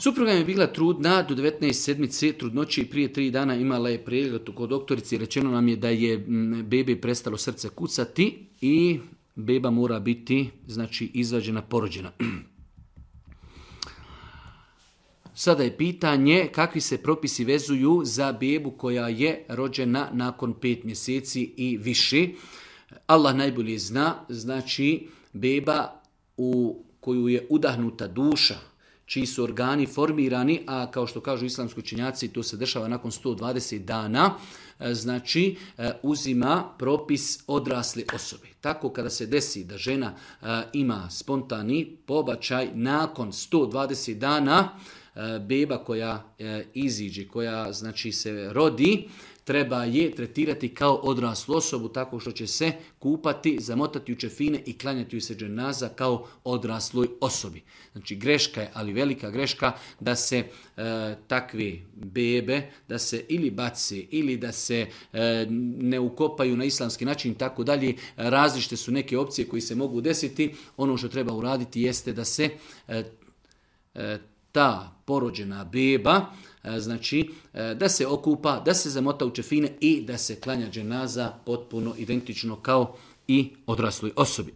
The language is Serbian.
Supruga mi je bila trudna do 19 sedmice trudnoće i prije 3 dana imala je pregled kod doktorici. Rečeno nam je da je bebi prestalo srce kucati i beba mora biti izvađena, porođena. Sada je pitanje kakvi se propisi vezuju za bebu koja je rođena nakon 5 mjeseci i više. Allah najbolje zna, beba u koju je udahnuta duša, čiji su organi formirani, a kao što kažu islamski učenjaci, to se dešava nakon 120 dana, uzima propis odrasle osobe. Tako kada se desi da žena ima spontani pobačaj nakon 120 dana, beba koja iziđe, koja se rodi, treba je tretirati kao odraslu osobu tako što će se kupati, zamotati u čefine i klanjati u se dženaza kao odrasloj osobi. Greška je, ali velika greška, da se takve bebe, da se ili baci ili da se ne ukopaju na islamski način i tako dalje. Različite su neke opcije koje se mogu desiti. Ono što treba uraditi jeste da se ta porođena beba, da se okupa, da se zamota u čefine i da se klanja dženaza potpuno identično kao i odrasloj osobi.